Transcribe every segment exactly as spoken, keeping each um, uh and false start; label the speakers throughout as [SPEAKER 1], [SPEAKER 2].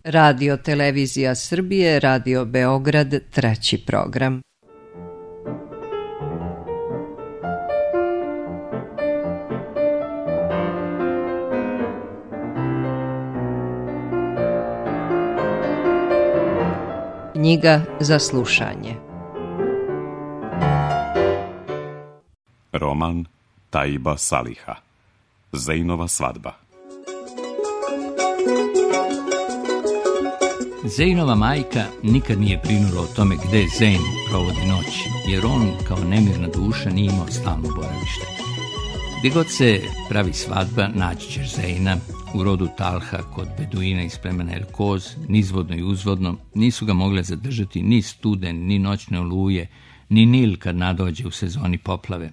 [SPEAKER 1] Radio Televizija Srbije, Radio Beograd, treći program. Knjiga za slušanje.
[SPEAKER 2] Roman Taiba Saliha. Zejnova svadba.
[SPEAKER 3] Zejnova majka nikad nije brinula o tome gde Zeyn provodi noć, jer on kao nemirna duša nije imao stalno boravište. Gdje god se pravi svadba, naći ćeš Zeyna. U rodu Talha kod Beduina iz plemena El Koz, nizvodno i uzvodno, nisu ga mogle zadržati ni studen, ni noćne oluje, ni Nil kad nadođe u sezoni poplave.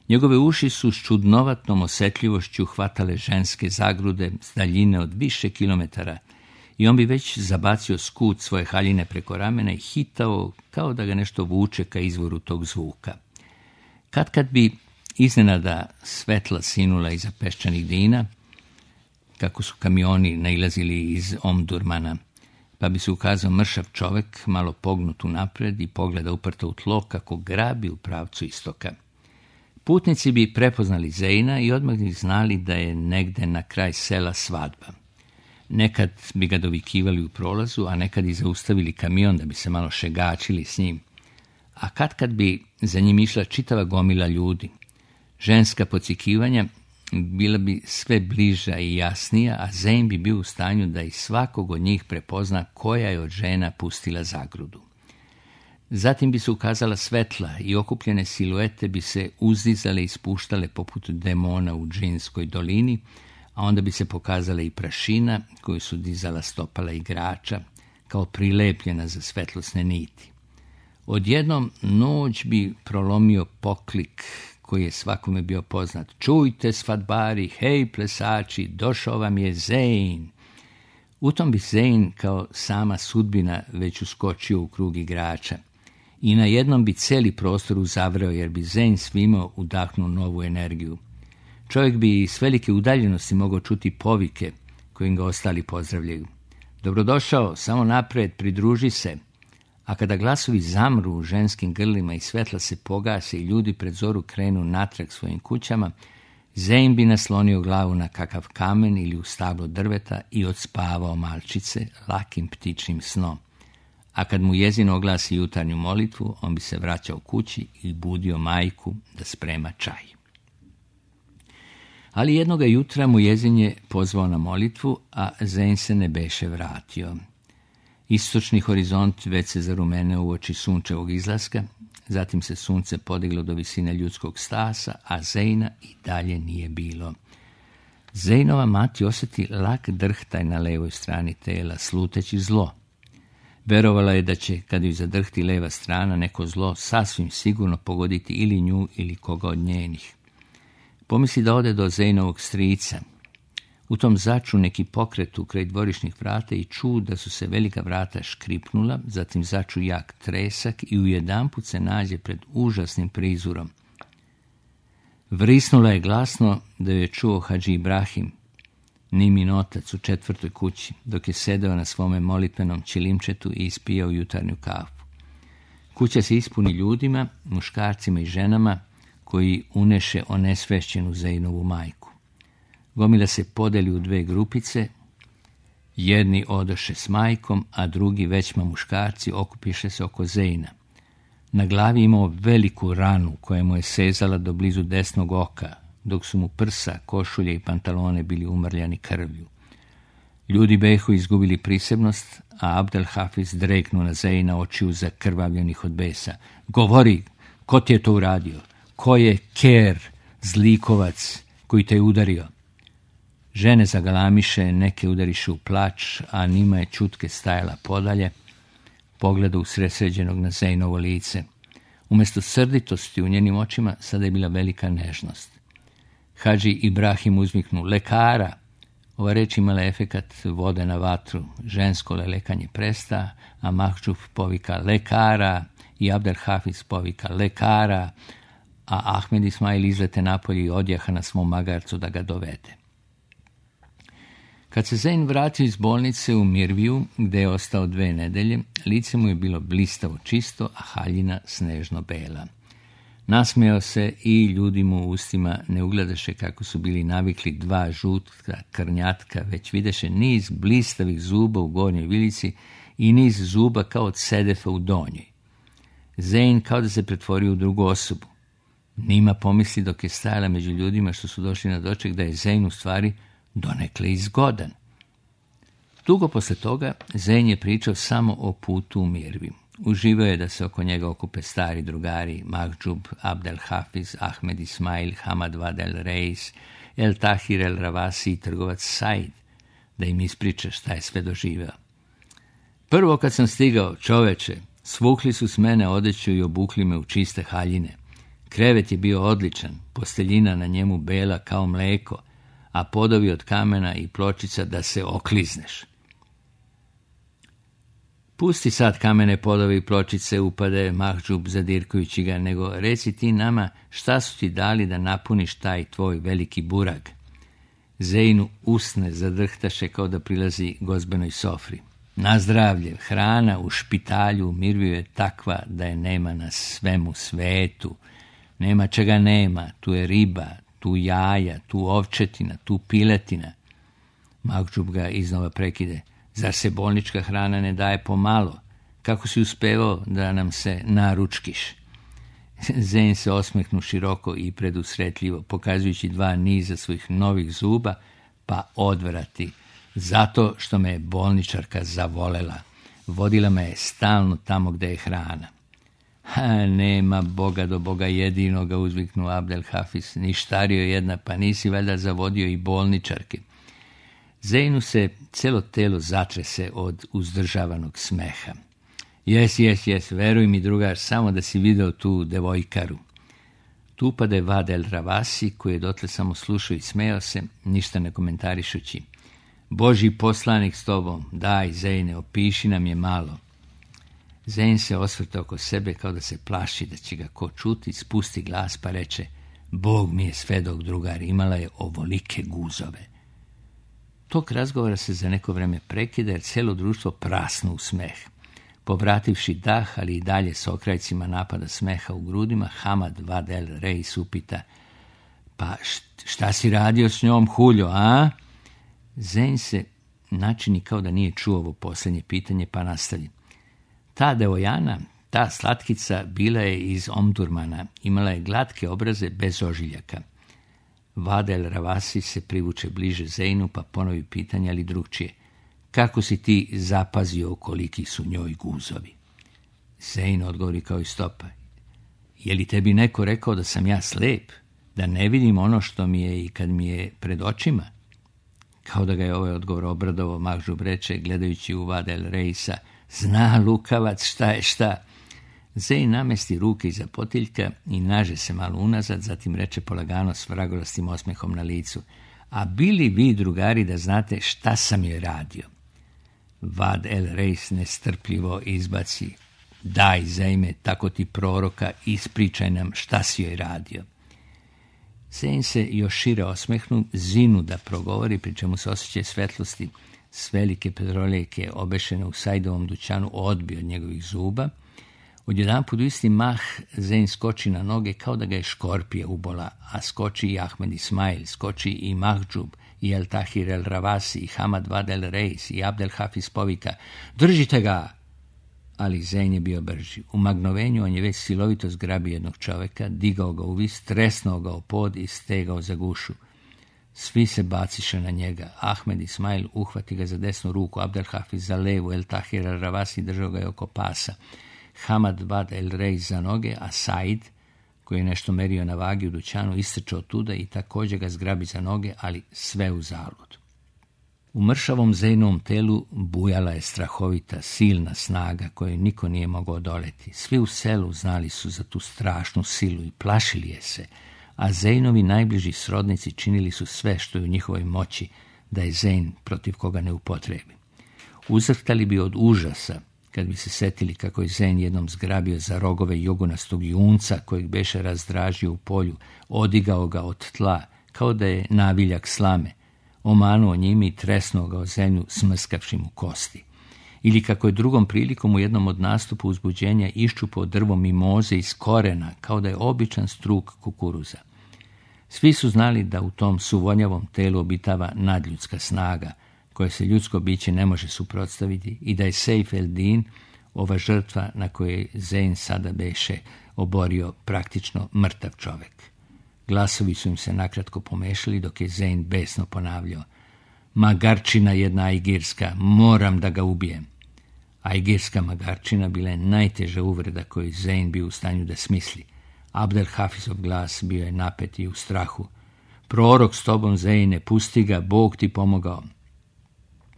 [SPEAKER 3] Njegove uši su s čudnovatnom osjetljivošću hvatale ženske zagrude s daljine od više kilometara i on bi već zabacio skut svoje haljine preko ramena i hitao kao da ga nešto vuče ka izvoru tog zvuka. Kad kad bi iznenada svetla sinula iza peščanih dina, kako su kamioni nailazili iz Omdurmana, pa bi se ukazao mršav čovek, malo pognut unapred i pogleda uprto u tlo kako grabi u pravcu istoka. Putnici bi prepoznali Zeyna i odmah bi znali da je negde na kraj sela svadba. Nekad bi ga dovikivali u prolazu, a nekad i zaustavili kamion da bi se malo šegačili s njim. A kad kad bi za njim išla čitava gomila ljudi. Ženska pocikivanja bila bi sve bliža i jasnija, a Zeyn bi bio u stanju da i svakog od njih prepozna koja je od žena pustila zagrudu. Zatim bi se ukazala svetla i okupljene siluete bi se uzdizale i spuštale poput demona u džinskoj dolini, a onda bi se pokazala i prašina koju su dizala stopala igrača, kao prilepljena za svetlosne niti. Odjednom noć bi prolomio poklik koji je svakome bio poznat. Čujte svadbari, hej plesači, došao vam je Zeyn. U tom bi Zeyn kao sama sudbina već uskočio u krug igrača. I na jednom bi cijeli prostor uzavreo jer bi Zeyn svima udahnuo novu energiju. Čovjek bi s velike udaljenosti mogao čuti povike kojim ga ostali pozdravljaju. Dobrodošao, samo napred, pridruži se. A kada glasovi zamru u ženskim grlima i svetla se pogase i ljudi pred zoru krenu natrag svojim kućama, Zeyn bi naslonio glavu na kakav kamen ili u stablo drveta i odspavao malčice lakim ptičnim snom. A kad mu jezin oglasi jutarnju molitvu, on bi se vraćao kući i budio majku da sprema čaj. Ali jednoga jutra mu jezin je pozvao na molitvu, a Zeyn se ne beše vratio. Istočni horizont već se zarumeneo uoči sunčevog izlaska, zatim se sunce podiglo do visine ljudskog stasa, a Zeyna i dalje nije bilo. Zeynova mati osjeti lak drhtaj na levoj strani tela, sluteći zlo. Verovala je da će, kad ju zadrhti leva strana, neko zlo sasvim sigurno pogoditi ili nju ili koga od njenih. Pomisli da ode do Zeynovog strica. U tom začu neki pokret u kraj dvorišnih vrata i ču da su se velika vrata škripnula, zatim začu jak tresak i ujedanput se nađe pred užasnim prizurom. Vrisnula je glasno da ju je čuo Hadži Ibrahim, Nimin otac u četvrtoj kući, dok je sedeo na svome molitvenom ćilimčetu i ispijao jutarnju kafu. Kuća se ispuni ljudima, muškarcima i ženama koji uneše onesvešćenu Zeynovu majku. Gomila se podeli u dve grupice, jedni odoše s majkom, a drugi većma muškarci okupiše se oko Zeyna. Na glavi imao veliku ranu koja mu je sezala do blizu desnog oka, dok su mu prsa, košulje i pantalone bili umrljani krvlju. Ljudi behu izgubili prisebnost, a Abdel Hafiz dreknuo na Zeyna očiju zakrvavljenih od besa. Govori, ko ti je to uradio? Ko je ker, zlikovac, koji te je udario? Žene zagalamiše, neke udariše u plač, a Nima je čutke stajala podalje, pogleda usresređenog na Zeynovo lice. Umjesto srditosti u njenim očima sada je bila velika nežnost. Hadži Ibrahim uzviknu, lekara! Ova reč imala efekat vode na vatru. Žensko lelekanje presta, a Mahđuf povika lekara i Abdel Hafiz povika lekara, a Ahmed Ismail izlete napolje i odjaha na svom magarcu da ga dovede. Kad se Zein vratio iz bolnice u Mirviju, gde je ostao dve nedelje, lice mu je bilo blistavo čisto, a haljina snežno bela. Nasmejao se i ljudi mu u ustima ne ugledaše kako su bili navikli dva žutka krnjatka, već videše niz blistavih zuba u gornjoj vilici i niz zuba kao od sedefa u donjoj. Zein kao da se pretvorio u drugu osobu. Nima pomisli dok je stajala među ljudima što su došli na doček da je Zein u stvari donekle izgodan. Dugo posle toga Zein je pričao samo o putu u Mirviju. Uživao je da se oko njega okupe stari drugari Mahđub, Abdel Hafiz, Ahmed Ismail, Hamad Vad el Reis, El Tahir el Ravasi i trgovac Said, da im ispriča šta je sve doživeo. Prvo kad sam stigao, čoveče, svukli su s mene odeću i obukli me u čiste haljine. Krevet je bio odličan, posteljina na njemu bela kao mleko, a podovi od kamena i pločica da se oklizneš. Pusti sad kamene podove i pločice, upade Mahđub zadirkujući ga, nego reci ti nama šta su ti dali da napuniš taj tvoj veliki burag. Zeinu usne zadrhtaše kao da prilazi gozbenoj sofri. Na zdravlje, hrana u špitalju u Mirviju je takva da je nema na svemu svetu. Nema čega nema, tu je riba, tu jaja, tu ovčetina, tu piletina. Mahđub ga iznova prekide. Zar se bolnička hrana ne daje pomalo? Kako si uspevao da nam se naručkiš? Zein se osmehnu široko i predusretljivo, pokazujući dva niza svojih novih zuba, pa odvrati. Zato što me je bolničarka zavolela. Vodila me je stalno tamo gde je hrana. Ha, nema Boga do Boga jedinoga, uzviknu Abdel Hafiz. Ništario jedna, pa nisi valjda zavodio i bolničarke. Zeinu se celo telo zatrese od uzdržavanog smeha. Jes, jes, jes, veruj mi drugar, samo da si video tu devojkaru. Tu upade Vad el Ravasi, koji je dotle samo slušao i smejao se, ništa ne komentarišući. Božji poslanik s tobom, daj Zeine, opiši nam je malo. Zein se osvrta oko sebe kao da se plaši da će ga ko čuti, spusti glas pa reče, Bog mi je svedok drugar, imala je ovolike guzove. Tog razgovora se za neko vreme prekida jer cijelo društvo prasno u smeh. Povrativši dah, ali i dalje s okrajcima napada smeha u grudima, Hamad Vad el Reis upita, pa šta si radio s njom, huljo, a? Zein se načini kao da nije čuo ovo posljednje pitanje, pa nastavi. Ta devojana, ta slatkica, bila je iz Omdurmana, imala je glatke obraze bez ožiljaka. Vad el Ravasi se privuče bliže Zeinu, pa ponovi pitanje, ali drugčije. Kako si ti zapazio koliki su njoj guzovi? Zein odgovori kao i stopa. Je li tebi neko rekao da sam ja slep? Da ne vidim ono što mi je i kad mi je pred očima? Kao da ga je ovaj odgovor obradovao, Mahđub reče, gledajući u Vad el Reisa, zna lukavac šta je šta. Zein namesti ruke iza potiljka i naže se malo unazad, zatim reče polagano s vragolastim osmehom na licu. A bili vi, drugari, da znate šta sam joj radio? Vad el Reis nestrpljivo izbaci. Daj, Zeime, tako ti proroka, ispričaj nam šta si joj radio. Zein se još šire osmehnu, zinu da progovori, pri čemu se osjećaj svetlosti s velike pedroljeke obešene u Saidovom dućanu odbio od njegovih zuba. Odjedanput u isti mah Zein skoči na noge kao da ga je škorpija ubola, a skoči i Ahmed Ismail, skoči i Mahđub, i El Tahir el Ravasi, i Hamad Vad el Reis, i Abdel Hafiz povika, držite ga! Ali Zein je bio brži. U magnovenju on je već silovito zgrabio jednog čoveka, digao ga u vis, tresnuo ga u pod i stegao za gušu. Svi se baciše na njega. Ahmed Ismail uhvati ga za desnu ruku, Abdel Hafiz za levu, El Tahir el Ravasi držao ga je oko pasa. Hamad Vad el Reis za noge, a Said, koji je nešto merio na vagi u dućanu, istrčao tuda i također ga zgrabi za noge, ali sve u zalud. U mršavom Zeinovom telu bujala je strahovita, silna snaga koju niko nije mogao odoleti. Svi u selu znali su za tu strašnu silu i plašili je se, a Zeinovi najbliži srodnici činili su sve što je u njihovoj moći da je Zein protiv koga ne upotrebi. Uzrhtali bi od užasa kad bi se setili kako je Zein jednom zgrabio za rogove jogunastog junca kojeg beše razdražio u polju, odigao ga od tla kao da je naviljak slame. omanuo njime i tresnuo ga o zemlju smrskavši mu kosti. Ili kako je drugom prilikom u jednom od nastupa uzbuđenja iščupao drvo mimoze iz korena, kao da je običan struk kukuruza. Svi su znali da u tom suvonjavom telu obitava nadljudska snaga, koja se ljudsko biće ne može suprotstaviti, i da je Sejf el-Din, ova žrtva na kojoj Zein sada beše oborio, praktično mrtav čovek. Glasovi su im se nakratko pomešali dok je Zein besno ponavljao: magarčina jedna ajgirska, moram da ga ubijem. Ajgirska magarčina bila je najteža uvreda koju Zein bio u stanju da smisli. Abdel Hafizov glas bio je napet i u strahu. Prorok s tobom, Zeine, pusti ga, Bog ti pomogao.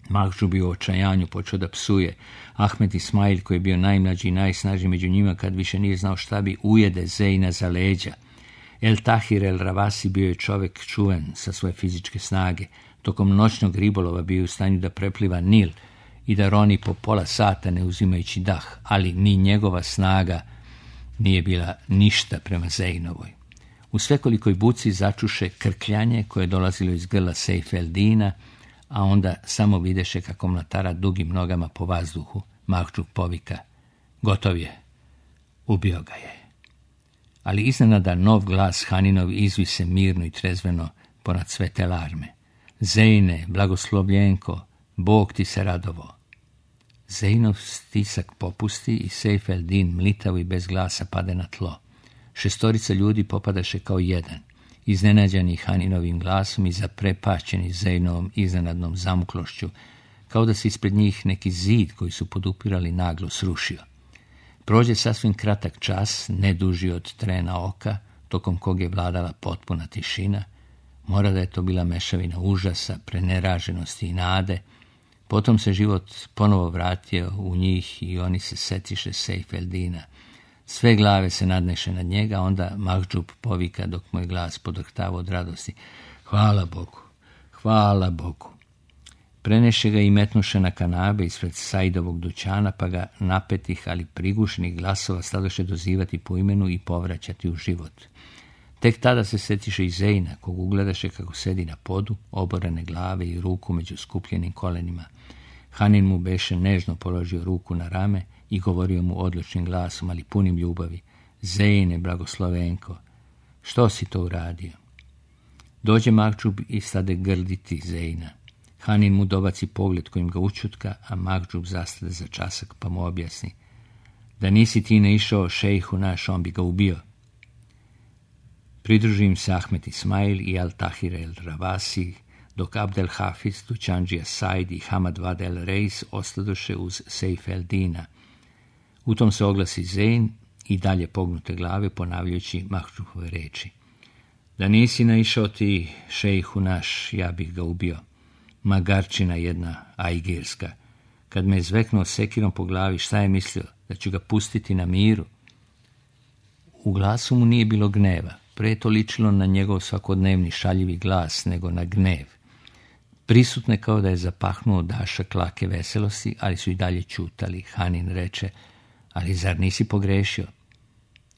[SPEAKER 3] Mahđub bi u očajanju počeo da psuje. Ahmed Ismail, koji je bio najmlađi i najsnažniji među njima, kad više nije znao šta bi, ujede Zeina za leđa. El Tahir El Ravasi bio je čovek čuven sa svoje fizičke snage. Tokom noćnog ribolova bio u stanju da prepliva Nil i da roni po pola sata ne uzimajući dah, ali ni njegova snaga nije bila ništa prema Zeinovoj. U svekolikoj buci začuše krkljanje koje je dolazilo iz grla Sejf el-Dina, a onda samo videše kako mlatara dugim nogama po vazduhu. Mahđub povika: gotov je, ubio ga je. Ali iznenada nov glas Haninov izvi se mirno i trezveno ponad sve te larme: Zeine, blagoslovljenko, Bog ti se radovo. Zeinov stisak popusti i Sejf el-Din mlitavo i bez glasa pade na tlo. Šestorica ljudi popadaše kao jedan, iznenađeni Haninovim glasom i zaprepašćeni Zeinovom iznenadnom zamuklošću, kao da se ispred njih neki zid koji su podupirali naglo srušio. Prođe sasvim kratak čas, ne duži od trena oka, tokom kog je vladala potpuna tišina. Mora da je to bila mešavina užasa, preneraženosti i nade. Potom se život ponovo vratio u njih i oni se setiše Sejf el-Dina. Sve glave se nadneše nad njega, onda Mahđub povika dok moj glas podrhtava od radosti: hvala Bogu, hvala Bogu. Preneše ga i metnuše na kanabe ispred Saidovog dućana, pa ga napetih, ali prigušenih glasova stadoše dozivati po imenu i povraćati u život. Tek tada se setiše i Zeina, kog ugledaše kako sedi na podu, oborene glave i ruku među skupljenim kolenima. Hanin mu beše nežno položio ruku na rame i govorio mu odlučnim glasom, ali punim ljubavi: Zeine, blagoslovenko, što si to uradio? Dođe Mahđub i stade grditi Zeina. Hanin mu dobaci pogled kojim ga učutka, a Mahđub zastade za časak pa mu objasni: da nisi ti ne išao šejhu naš, on bi ga ubio. Pridružim se Ahmed Ismail i Al Tahir El Ravasi, dok Abdel Hafiz, Dućandžija Said i Hamad Vad El Reis ostadoše uz Sejf el-Dina. U tom se oglasi Zein i dalje pognute glave ponavljajući Mahđubove reči: da nisi naišao ti šejhu naš, ja bih ga ubio. Magarčina jedna ajgirska. Kad me je zveknuo sekirom po glavi, šta je mislio? Da ću ga pustiti na miru? U glasu mu nije bilo gneva. Pre je to ličilo na njegov svakodnevni šaljivi glas nego na gnev. Prisutne kao da je zapahnuo dašak lake veselosti, ali su i dalje ćutali. Hanin reče: ali zar nisi pogrešio?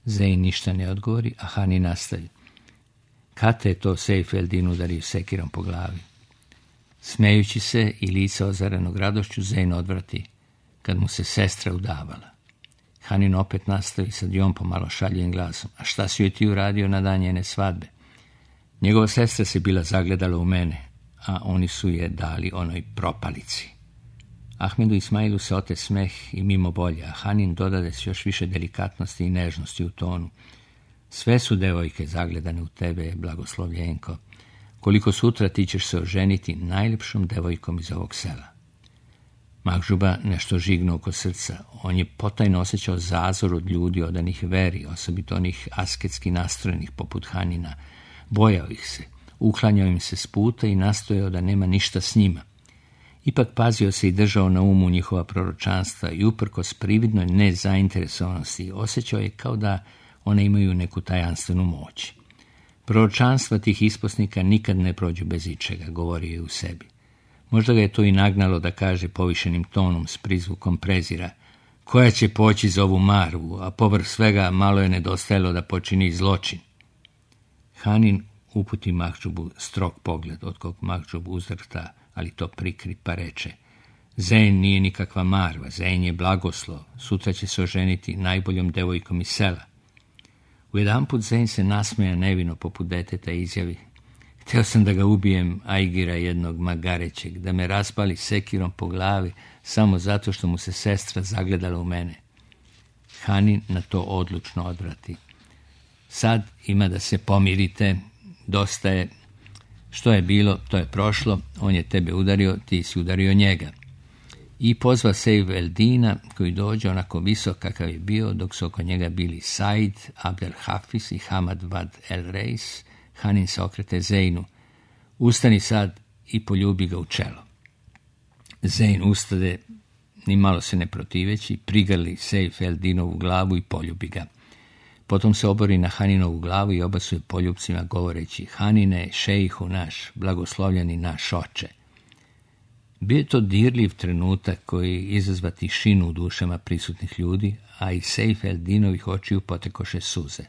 [SPEAKER 3] Zein ništa ne odgovori, a Hanin nastavi: kad te je to Sejf el-Din udario sekirom po glavi? Smejući se i lice ozarenog radošću, Zein odvrati: kad mu se sestra udavala. Hanin opet nastavi, sad i on pomalo šaljivim glasom: a šta si joj ti uradio na dan njene svadbe? Njegova sestra se bila zagledala u mene, a oni su je dali onoj propalici. Ahmedu Ismailu se ote smeh i mimo volje, a Hanin dodade s još više delikatnosti i nežnosti u tonu: sve su devojke zagledane u tebe, blagoslovljenko. Koliko sutra ti ćeš se oženiti najljepšom devojkom iz ovog sela. Mahđuba nešto žignuo oko srca. On je potajno osjećao zazor od ljudi odanih veri, osobito onih asketski nastrojenih poput Hanina. Bojao ih se, uklanjao im se s puta i nastojao da nema ništa s njima. Ipak pazio se i držao na umu njihova proročanstva i uprkos prividnoj nezainteresovanosti osjećao je kao da one imaju neku tajanstvenu moć. Proročanstva tih isposnika nikad ne prođu bez ičega, govorio je u sebi. Možda ga je to i nagnalo da kaže povišenim tonom s prizvukom prezira: koja će poći za ovu marvu, a povrh svega malo je nedostajalo da počini zločin. Hanin uputi Mahđubu strog pogled, od kog Mahđub uzrta, ali to prikri, pa reče: Zein nije nikakva marva, Zein je blagoslov, sutra će se oženiti najboljom devojkom iz sela. Ujedanput Zein se nasmeja nevino poput deteta i izjavi: Hteo sam da ga ubijem, ajgira jednog magarećeg, da me raspali sekirom po glavi samo zato što mu se sestra zagledala u mene. Hanin na to odlučno odvrati: Sad ima da se pomirite, dosta je, što je bilo, to je prošlo, on je tebe udario, ti si udario njega. I pozva Sejf el-Dina, koji dođe onako visok kakav je bio, dok su oko njega bili Said, Abdel Hafiz i Hamad Vad el-Reis. Hanin se okrete Zeinu: Ustani sad i poljubi ga u čelo. Zein ustade, ni malo se ne protiveći, prigrli Sejf el-Dinovu glavu i poljubi ga. Potom se obori na Haninovu glavu i obasuje poljupcima govoreći: Hanine, šejhu naš, blagoslovljeni naš oče. Bio je to dirljiv trenutak koji izazva tišinu u dušama prisutnih ljudi, a iz Sejf el-Dinovih očiju potekoše suze.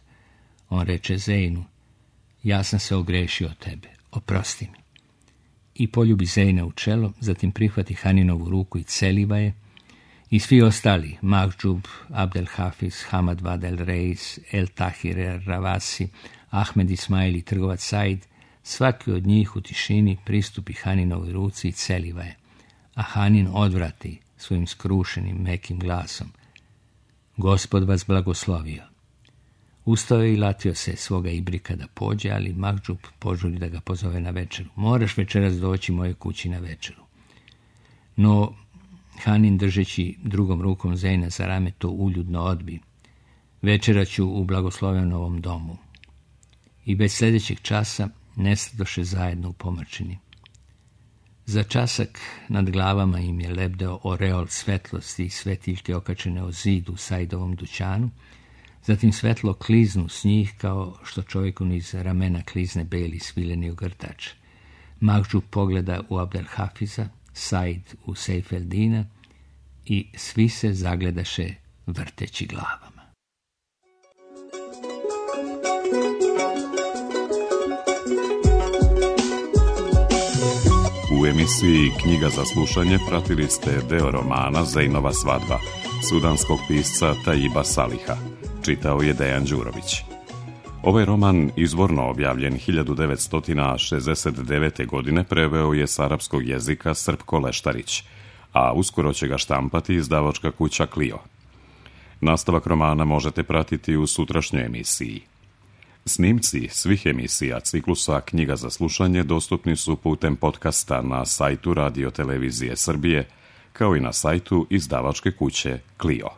[SPEAKER 3] On reče Zeinu: Ja sam se ogrešio od tebe, oprosti mi. I poljubi Zeina u čelo, zatim prihvati Haninovu ruku i celiva je, i svi ostali, Mahđub, Abdel Hafiz, Hamad Vad el-Reis, El-Tahir el-Ravasi, Ahmed Ismail i trgovac Said, svaki od njih u tišini pristupi Haninovoj ruci i celiva je, a Hanin odvrati svojim skrušenim, mekim glasom: Gospod vas blagoslovio. Ustao je i latio se svoga ibrika da pođe, ali Mahđub požuri da ga pozove na večeru. Moraš večeras doći moje kući na večeru. No, Hanin, držeći drugom rukom Zeina za rame, to uljudno odbi: Večera ću u blagoslovenovom domu. I već sljedećeg časa nestadoše zajedno u pomrčini. Za časak nad glavama im je lebdeo oreol svetlosti i svetiljke okačene o zidu u Saidovom dućanu, zatim svetlo kliznu s njih kao što čovjeku niz ramena klizne beli svileni ogrtač. Mahđub pogleda u Abdel Hafiza, Said u Sejf el-Dina i svi se zagledaše vrteći glavama.
[SPEAKER 2] U emisiji Knjiga za slušanje pratili ste deo romana Zeinova svadba sudanskog pisca Taiba Saliha. Čitao je Dejan Đurović. Ovaj roman, izvorno objavljen hiljadu devetsto šezdeset devete. godine, preveo je s arapskog jezika Srpko Leštarić, a uskoro će ga štampati izdavačka kuća Clio. Nastavak romana možete pratiti u sutrašnjoj emisiji. Snimci svih emisija ciklusa Knjiga za slušanje dostupni su putem podcasta na sajtu Radio Televizije Srbije, kao i na sajtu izdavačke kuće Clio.